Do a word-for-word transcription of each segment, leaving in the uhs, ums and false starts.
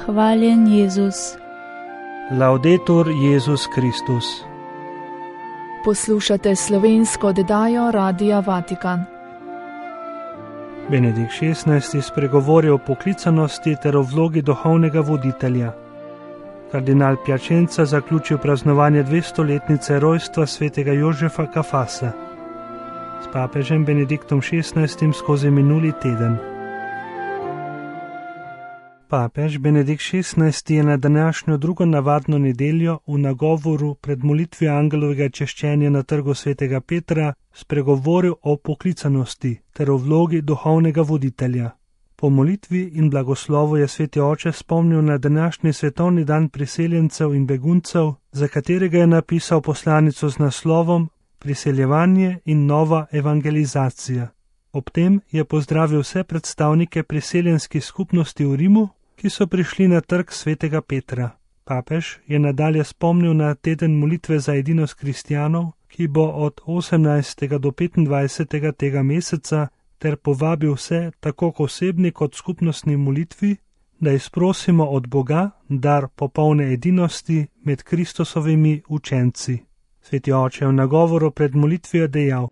Hvaljen Jezus. Laudetur Jezus Kristus. Poslušate slovensko oddajo Radia Vatikan. Benedikt šestnajsti spregovori o poklicanosti ter o vlogi duhovnega voditelja. Kardinal Piacenza zaključil praznovanje dvestoletnice rojstva svetega Jožefa Kafasa s papežem Benediktom šestnajstim skozi minuli teden. Papež Benedikt šestnajsti je na današnjo drugo navadno nedeljo v nagovoru pred molitvijo angelovega češčenja na trgu svetega Petra spregovoril o poklicanosti ter o vlogi duhovnega voditelja. Po molitvi in blagoslovu je sveti oče spomnil na današnji svetovni dan priseljencev in beguncev, za katerega je napisal poslanico z naslovom Priseljevanje in nova evangelizacija. Ob tem je pozdravil vse predstavnike priseljenskih skupnosti v Rimu, ki so prišli na trg svetega Petra. Papež je nadalje spomnil na teden molitve za edinost kristjanov, ki bo od osemnajstega do petindvajsetega tega meseca, ter povabil vse, tako k osebni kot skupnostni molitvi, da izprosimo od Boga dar popolne edinosti med Kristusovimi učenci. Sveti oče v nagovoru pred molitvijo dejal: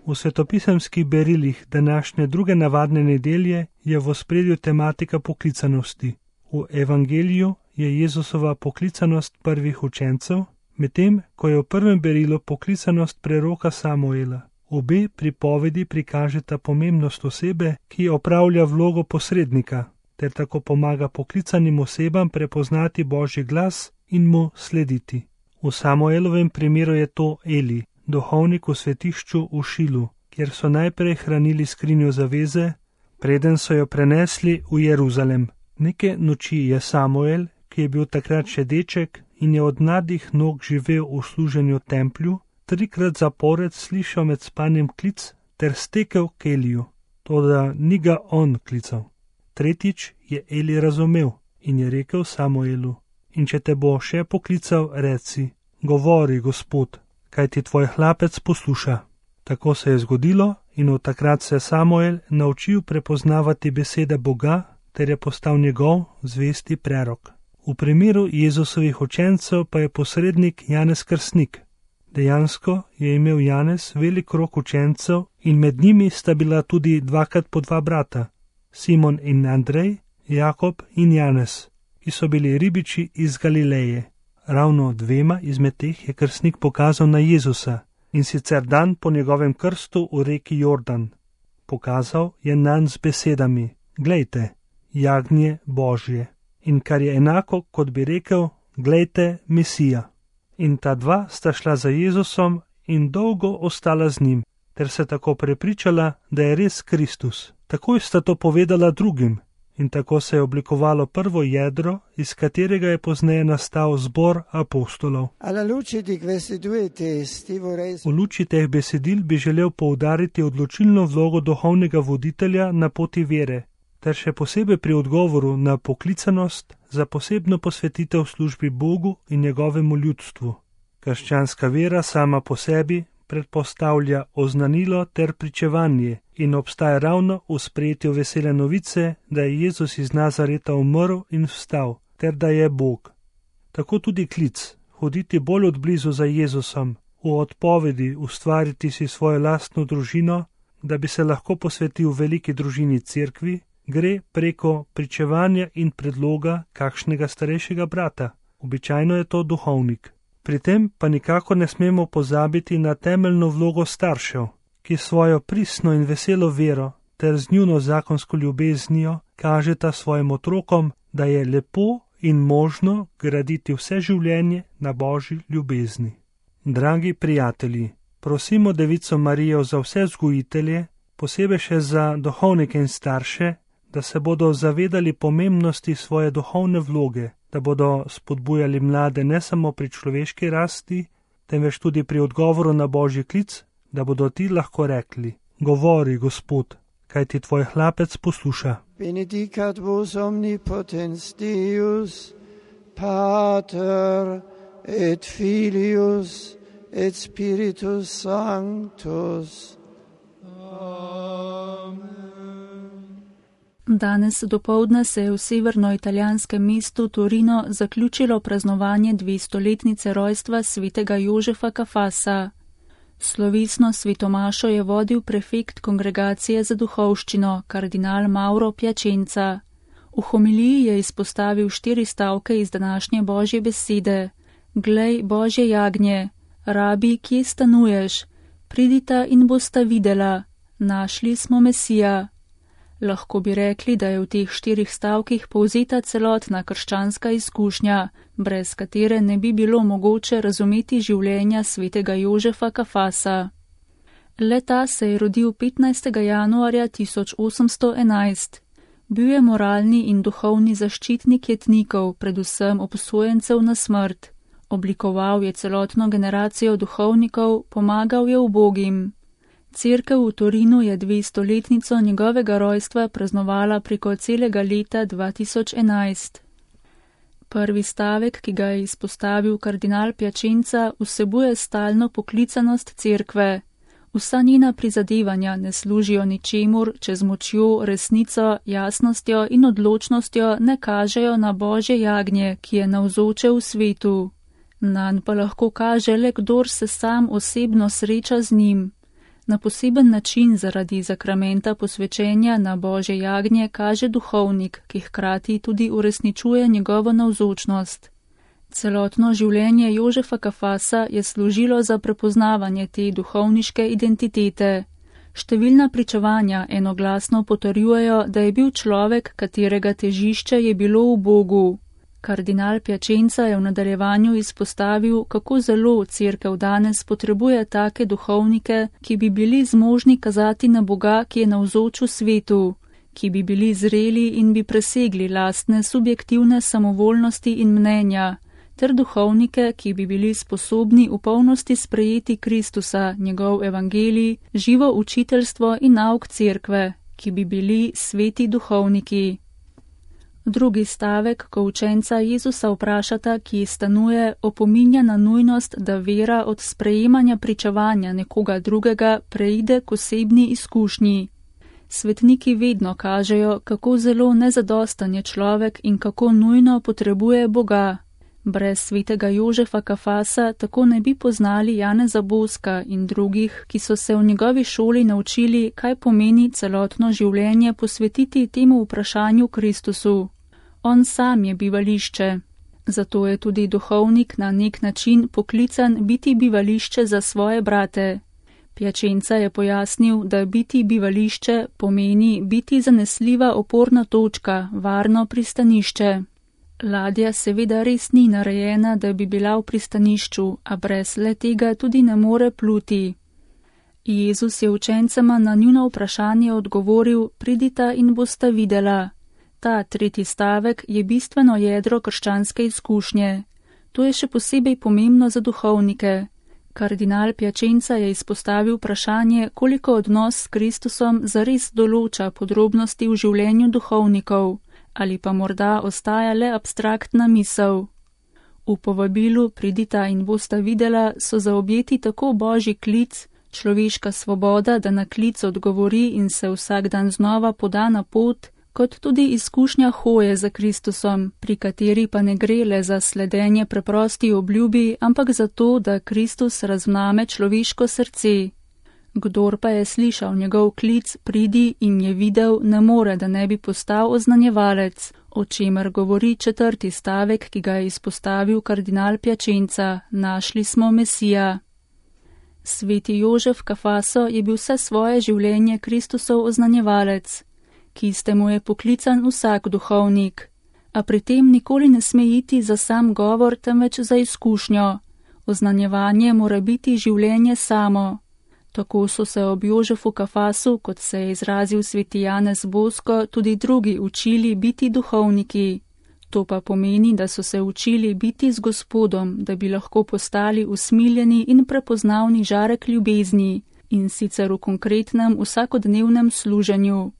V svetopisemskih berilih današnje druge navadne nedelje je v ospredju tematika poklicanosti. V evangeliju je Jezusova poklicanost prvih učencev, medtem ko je v prvem berilu poklicanost preroka Samuela. Obe pripovedi prikažeta pomembnost osebe, ki opravlja vlogo posrednika, ter tako pomaga poklicanim osebam prepoznati Božji glas in mu slediti. V Samuelovem primeru je to Eli, duhovnik v svetišču v Šilu, kjer so najprej hranili skrinjo zaveze, preden so jo prenesli v Jeruzalem. Neke noči je Samuel, ki je bil takrat še deček in je od mladih nog živel v služenju templju, trikrat zapored slišal med spanjem klic ter stekel k Eliju, toda ni ga on klical. Tretjič je Eli razumel in je rekel Samuelu: In če te bo še poklical, reci: Govori, Gospod, kaj ti tvoj hlapec posluša. Tako se je zgodilo in od takrat se je Samuel naučil prepoznavati besede Boga ter je postal njegov zvesti prerok. V primeru Jezusovih učencev pa je posrednik Janez Krstnik. Dejansko je imel Janez velik krog učencev in med njimi sta bila tudi dvakrat po dva brata, Simon in Andrej, Jakob in Janez, ki so bili ribiči iz Galileje. Ravno dvema izmed teh je krstnik pokazal na Jezusa, in sicer dan po njegovem krstu v reki Jordan. Pokazal je nanj z besedami: Glejte, jagnje Božje. In kar je enako, kot bi rekel: Glejte, Mesija. In ta dva sta šla za Jezusom in dolgo ostala z njim, ter se tako prepričala, da je res Kristus. Takoj sta to povedala drugim. In tako se je oblikovalo prvo jedro, iz katerega je pozneje nastal zbor apostolov. V luči teh besedil bi želel poudariti odločilno vlogo duhovnega voditelja na poti vere, ter še posebej pri odgovoru na poklicanost za posebno posvetitev službi Bogu in njegovemu ljudstvu. Krščanska vera sama po sebi predpostavlja oznanilo ter pričevanje in obstaja ravno v sprejetju vesele novice, da je Jezus iz Nazareta umrl in vstal, ter da je Bog. Tako tudi klic, hoditi bolj odblizu za Jezusom, v odpovedi ustvariti si svojo lastno družino, da bi se lahko posvetil veliki družini cerkvi, gre preko pričevanja in predloga kakšnega starejšega brata. Običajno je to duhovnik. Pri tem pa nikako ne smemo pozabiti na temeljno vlogo staršev, ki svojo pristno in veselo vero ter z njuno zakonsko ljubeznijo kažeta svojim otrokom, da je lepo in možno graditi vse življenje na Božji ljubezni. Dragi prijatelji, prosimo Devico Marijo za vse vzgojitelje, posebej še za duhovnike in starše, da se bodo zavedali pomembnosti svoje duhovne vloge, da bodo spodbujali mlade ne samo pri človeški rasti, temveč tudi pri odgovoru na Božji klic, da bodo ti lahko rekli: Govori, Gospod, kaj ti tvoj hlapec posluša. Benedicat vos omnipotens Deus, Pater et Filius et Spiritus Sanctus. Danes dopoldne se je v severnoitalijanskem mestu Torino zaključilo praznovanje dvestoletnice rojstva svetega Jožefa Kafasa. Slovesno svetomašo je vodil prefekt kongregacije za duhovščino, kardinal Mauro Piacenza. V homiliji je izpostavil štiri stavke iz današnje Božje besede. Glej, Božje jagnje, rabi, kje stanuješ, pridita in bosta videla, našli smo Mesija. Lahko bi rekli, da je v teh štirih stavkih povzeta celotna krščanska izkušnja, brez katere ne bi bilo mogoče razumeti življenja svetega Jožefa Kafasa. Le-ta se je rodil petnajstega januarja tisoč osemsto enajst. Bil je moralni in duhovni zaščitnik jetnikov, predvsem obsojencev na smrt. Oblikoval je celotno generacijo duhovnikov, pomagal je ubogim. Cerkev v Torinu je dvestoletnico njegovega rojstva praznovala preko celega leta dva tisoč enajst. Prvi stavek, ki ga je izpostavil kardinal Piacenza, vsebuje stalno poklicanost cerkve. Vsa njena prizadevanja ne služijo ničemur, če z močjo, resnico, jasnostjo in odločnostjo ne kažejo na Božje jagnje, ki je navzoče v svetu. Nanj pa lahko kaže le kdor se sam osebno sreča z njim. Na poseben način zaradi zakramenta posvečenja na Božje jagnje kaže duhovnik, ki hkrati tudi uresničuje njegovo navzočnost. Celotno življenje Jožefa Kafasa je služilo za prepoznavanje te duhovniške identitete. Številna pričevanja enoglasno potrjujejo, da je bil človek, katerega težišče je bilo v Bogu. Kardinal Piacenza je v nadaljevanju izpostavil, kako zelo cerkev danes potrebuje take duhovnike, ki bi bili zmožni kazati na Boga, ki je navzoč v svetu, ki bi bili zreli in bi presegli lastne subjektivne samovoljnosti in mnenja, ter duhovnike, ki bi bili sposobni v polnosti sprejeti Kristusa, njegov evangelij, živo učiteljstvo in nauk cerkve, ki bi bili sveti duhovniki. Drugi stavek, ko učenca Jezusa vprašata, ki stanuje, opominja na nujnost, da vera od sprejemanja pričevanja nekoga drugega preide k osebni izkušnji. Svetniki vedno kažejo, kako zelo nezadostan je človek in kako nujno potrebuje Boga. Brez svetega Jožefa Kafasa tako ne bi poznali Janeza Boska in drugih, ki so se v njegovi šoli naučili, kaj pomeni celotno življenje posvetiti temu vprašanju Kristusu. On sam je bivališče. Zato je tudi duhovnik na nek način poklican biti bivališče za svoje brate. Piacenza je pojasnil, da biti bivališče pomeni biti zanesljiva oporna točka, varno pristanišče. Ladja seveda res ni narejena, da bi bila v pristanišču, a brez le tega tudi ne more pluti. Jezus je učencema na njuno vprašanje odgovoril, pridita in bosta videla. Ta tretji stavek je bistveno jedro krščanske izkušnje. To je še posebej pomembno za duhovnike. Kardinal Piacenza je izpostavil vprašanje, koliko odnos s Kristusom zares določa podrobnosti v življenju duhovnikov, ali pa morda ostaja le abstraktna misel. V povabilu pridita in bosta videla so zaobjeti tako Božji klic, človeška svoboda, da na klic odgovori in se vsak dan znova poda na pot, kot tudi izkušnja hoje za Kristusom, pri kateri pa ne gre le za sledenje preprosti obljubi, ampak za to, da Kristus razvname človeško srce. Kdor pa je slišal njegov klic, pridi in je videl, ne more, da ne bi postal oznanjevalec, o čemer govori četrti stavek, ki ga je izpostavil kardinal Piacenza, našli smo Mesija. Sveti Jožef Kafaso je bil vse svoje življenje Kristusov oznanjevalec, ki ste mu je poklican vsak duhovnik, a pri tem nikoli ne sme iti za sam govor, temveč za izkušnjo. Oznanjevanje mora biti življenje samo. Tako so se ob Jožefu Kafasu, kot se je izrazil sveti Janez Bosko, tudi drugi učili biti duhovniki. To pa pomeni, da so se učili biti z Gospodom, da bi lahko postali usmiljeni in prepoznavni žarek ljubezni, in sicer v konkretnem vsakodnevnem služenju.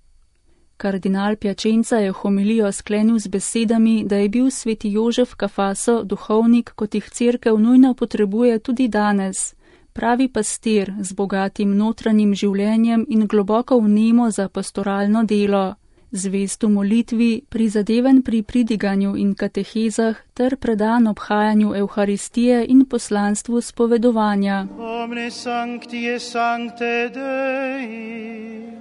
Kardinal Piacenza je homilijo sklenil z besedami, da je bil sveti Jožef Kafaso duhovnik, kot jih cerkev nujno potrebuje tudi danes, pravi pastir z bogatim notranjim življenjem in globoko vnemo za pastoralno delo, zvest v molitvi, prizadeven pri pridiganju in katehezah ter predan obhajanju Evharistije in poslanstvu spovedovanja. Omne sancti et sancte Dei.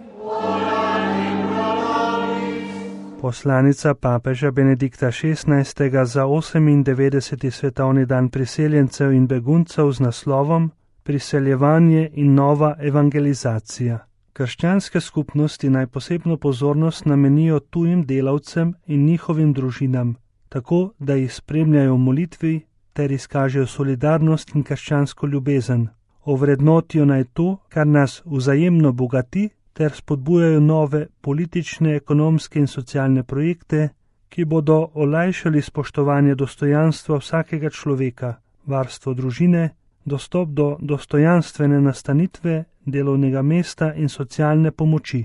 Poslanica papeža Benedikta šestnajstega za osemindevetdeseti svetovni dan priseljencev in beguncev z naslovom Priseljevanje in nova evangelizacija. Krščanske skupnosti naj posebno pozornost namenijo tujim delavcem in njihovim družinam, tako da jih spremljajo v molitvi ter izkažejo solidarnost in krščansko ljubezen. Ovrednotijo naj to, kar nas vzajemno bogati, ter spodbujajo nove politične, ekonomske in socialne projekte, ki bodo olajšali spoštovanje dostojanstva vsakega človeka, varstvo družine, dostop do dostojanstvene nastanitve, delovnega mesta in socialne pomoči.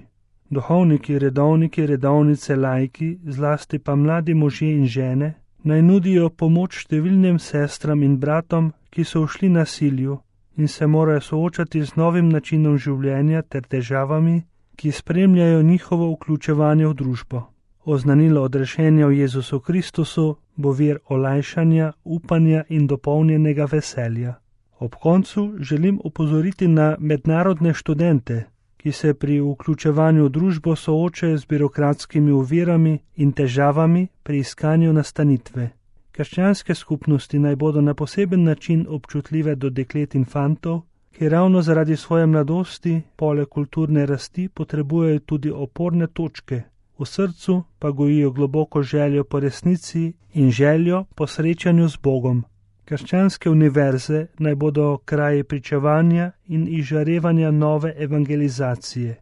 Duhovniki, redovniki, redovnice, laiki, zlasti pa mladi možje in žene, naj nudijo pomoč številnim sestram in bratom, ki so ušli nasilju in se morajo soočati z novim načinom življenja ter težavami, ki spremljajo njihovo vključevanje v družbo. Oznanilo odrešenja v Jezusu Kristusu bo vir olajšanja, upanja in dopolnjenega veselja. Ob koncu želim opozoriti na mednarodne študente, ki se pri vključevanju v družbo soočajo z birokratskimi ovirami in težavami pri iskanju nastanitve. Krščanske skupnosti naj bodo na poseben način občutljive do deklet in fantov, ki ravno zaradi svoje mladosti, poleg kulturne rasti, potrebujejo tudi oporne točke, v srcu pa gojijo globoko željo po resnici in željo po srečanju z Bogom. Krščanske univerze naj bodo kraji pričevanja in izžarevanja nove evangelizacije.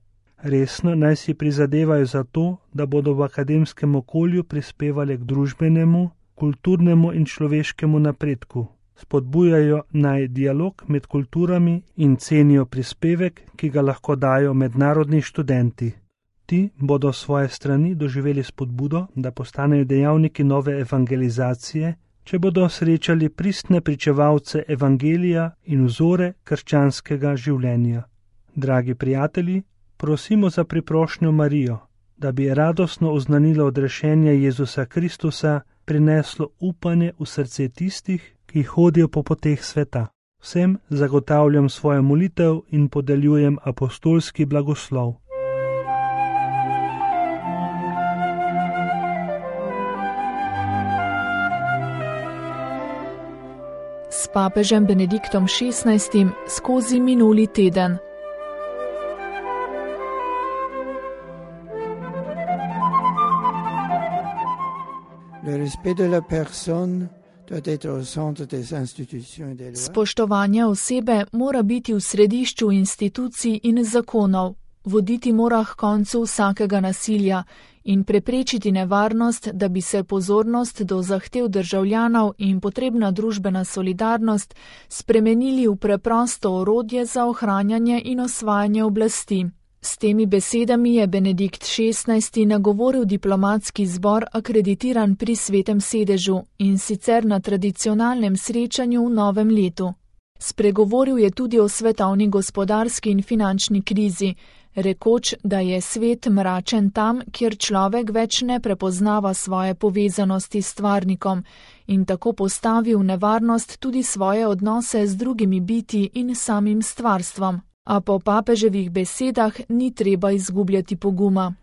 Resno naj si prizadevajo za to, da bodo v akademskem okolju prispevali k družbenemu, kulturnemu in človeškemu napredku. Spodbujajo naj dialog med kulturami in cenijo prispevek, ki ga lahko dajo mednarodni študenti. Ti bodo svoje strani doživeli spodbudo, da postanejo dejavniki nove evangelizacije, če bodo srečali pristne pričevalce evangelija in vzore krščanskega življenja. Dragi prijatelji, prosimo za priprošnjo Marijo, da bi radostno oznanilo odrešenje Jezusa Kristusa prineslo upanje v srce tistih, ki hodijo po poteh sveta. Vsem zagotavljam svojo molitev in podeljujem apostolski blagoslov. S papežem Benediktom šestnajstim skozi minuli teden. Spoštovanje osebe mora biti v središču institucij in zakonov, voditi mora k koncu vsakega nasilja in preprečiti nevarnost, da bi se pozornost do zahtev državljanov in potrebna družbena solidarnost spremenili v preprosto orodje za ohranjanje in osvajanje oblasti. S temi besedami je Benedikt šestnajsti nagovoril diplomatski zbor akreditiran pri Svetem sedežu in sicer na tradicionalnem srečanju v novem letu. Spregovoril je tudi o svetovni gospodarski in finančni krizi, rekoč, da je svet mračen tam, kjer človek več ne prepoznava svoje povezanosti s stvarnikom in tako postavi v nevarnost tudi svoje odnose z drugimi biti in samim stvarstvom. A po papeževih besedah ni treba izgubljati poguma.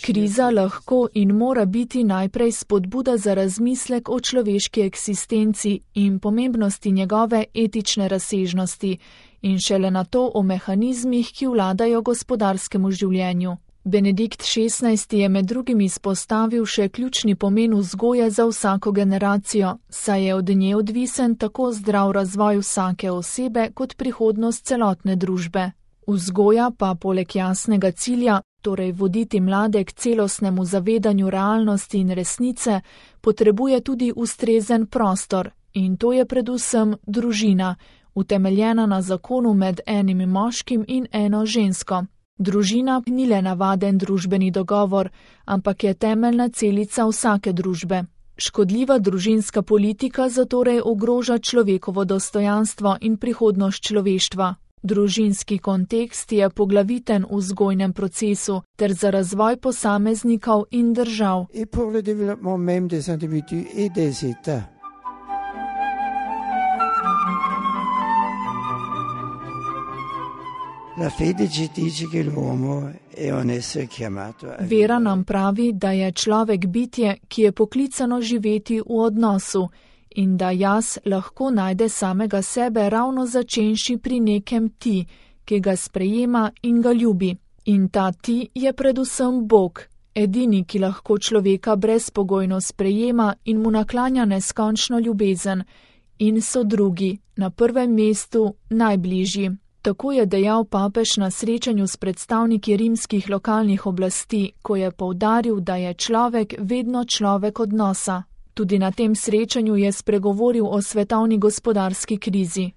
Kriza lahko in mora biti najprej spodbuda za razmislek o človeški eksistenci in pomembnosti njegove etične razsežnosti in šele nato o mehanizmih, ki vladajo gospodarskemu življenju. Benedikt šestnajsti je med drugim izpostavil še ključni pomen vzgoje za vsako generacijo, saj je od nje odvisen tako zdrav razvoj vsake osebe kot prihodnost celotne družbe. Vzgoja pa poleg jasnega cilja, torej voditi mlade k celostnemu zavedanju realnosti in resnice, potrebuje tudi ustrezen prostor in to je predvsem družina, utemeljena na zakonu med enim moškim in eno žensko. Družina ni le navaden družbeni dogovor, ampak je temeljna celica vsake družbe. Škodljiva družinska politika zatorej ogroža človekovo dostojanstvo in prihodnost človeštva. Družinski kontekst je poglaviten v vzgojnem procesu ter za razvoj posameznikov in držav. Et pour le développement même des individus et des États. La fede ci dice che l'uomo è un essere chiamato a Vera nam pravi, da je človek bitje, ki je poklicano živeti v odnosu in da jaz lahko najde samega sebe ravno začenši pri nekem ti, ki ga sprejema in ga ljubi. In ta ti je predvsem Bog, edini, ki lahko človeka brezpogojno sprejema in mu naklanja neskončno ljubezen, in so drugi, na prvem mestu najbližji. Tako je dejal papež na srečanju s predstavniki rimskih lokalnih oblasti, ko je poudaril, da je človek vedno človek odnosa. Tudi na tem srečanju je spregovoril o svetovni gospodarski krizi.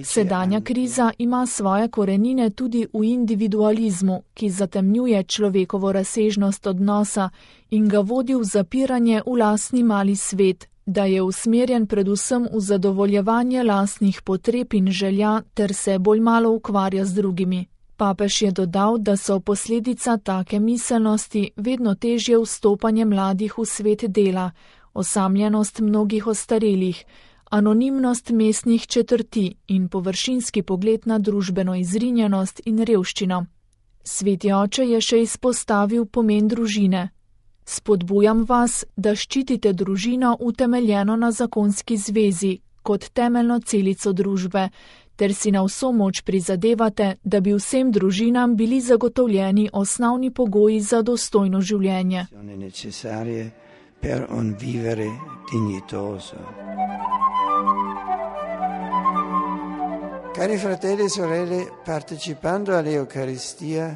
Sedanja kriza ima svoje korenine tudi v individualizmu, ki zatemnjuje človekovo razsežnost odnosa in ga vodi v zapiranje v lastni mali svet, da je usmerjen predvsem v zadovoljevanje lastnih potreb in želja ter se bolj malo ukvarja z drugimi. Papež je dodal, da so posledica take miselnosti vedno težje vstopanje mladih v svet dela, osamljenost mnogih ostarelih, anonimnost mestnih četrti in površinski pogled na družbeno izrinjenost in revščino. Sveti oče je še izpostavil pomen družine. Spodbujam vas, da ščitite družino utemeljeno na zakonski zvezi kot temeljno celico družbe, ter si na vso moč prizadevate, da bi vsem družinam bili zagotovljeni osnovni pogoji za dostojno življenje. Cari fratelli e sorelle, partecipando all'Eucaristia,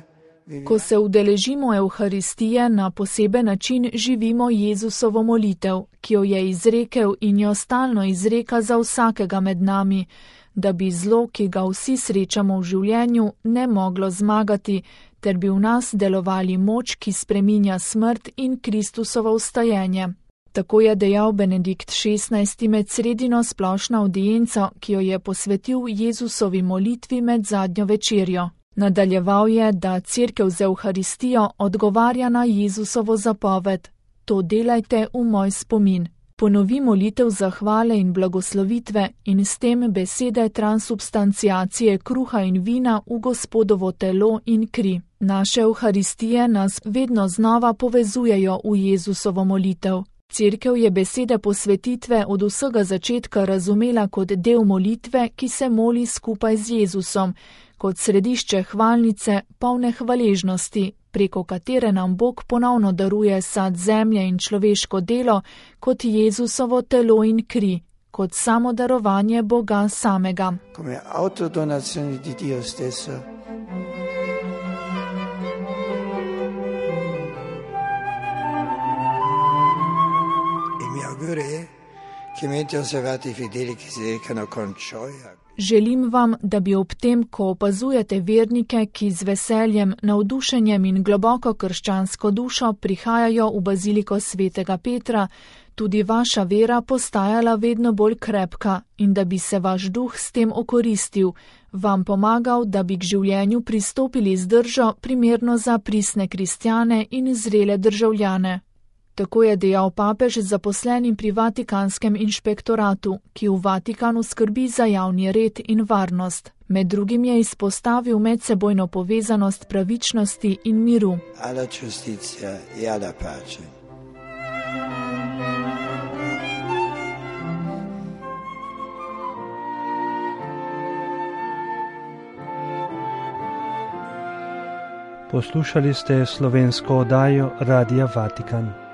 Ko se udeležimo Evharistije, na poseben način živimo Jezusovo molitev, ki jo je izrekel in jo stalno izreka za vsakega med nami, da bi zlo, ki ga vsi srečamo v življenju, ne moglo zmagati, ter bi v nas delovali moč, ki spreminja smrt in Kristusovo vstajenje. Tako je dejal Benedikt šestnajsti med sredino splošno avdienco, ki jo je posvetil Jezusovi molitvi med zadnjo večerjo. Nadaljeval je, da Cerkev z Evharistijo odgovarja na Jezusovo zapoved: to delajte v moj spomin. Ponovi molitev zahvale in blagoslovitve in s tem besede transubstanciacije kruha in vina v Gospodovo telo in kri. Naše Evharistije nas vedno znova povezujejo v Jezusovo molitev. Cerkev je besede posvetitve od vsega začetka razumela kot del molitve, ki se moli skupaj z Jezusom, kot središče hvalnice, polne hvaležnosti, preko katere nam Bog ponovno daruje sad zemlje in človeško delo, kot Jezusovo telo in kri, kot samo darovanje Boga samega. Come autodonazione di Dio stesso. E mi auguro che mentre osservate i fedeli che si recano con gioia. Želim vam, da bi ob tem, ko opazujete vernike, ki z veseljem, navdušenjem in globoko krščansko dušo prihajajo v baziliko svetega Petra, tudi vaša vera postajala vedno bolj krepka in da bi se vaš duh s tem okoristil, vam pomagal, da bi k življenju pristopili z držo primerno za pristne kristjane in zrele državljane. Tako je dejal papež zaposlenim pri Vatikanskem inšpektoratu, ki v Vatikanu skrbi za javni red in varnost. Med drugim je izpostavil medsebojno povezanost pravičnosti in miru. Alla giustizia e alla pace. Poslušali ste slovensko oddajo Radia Vatikan.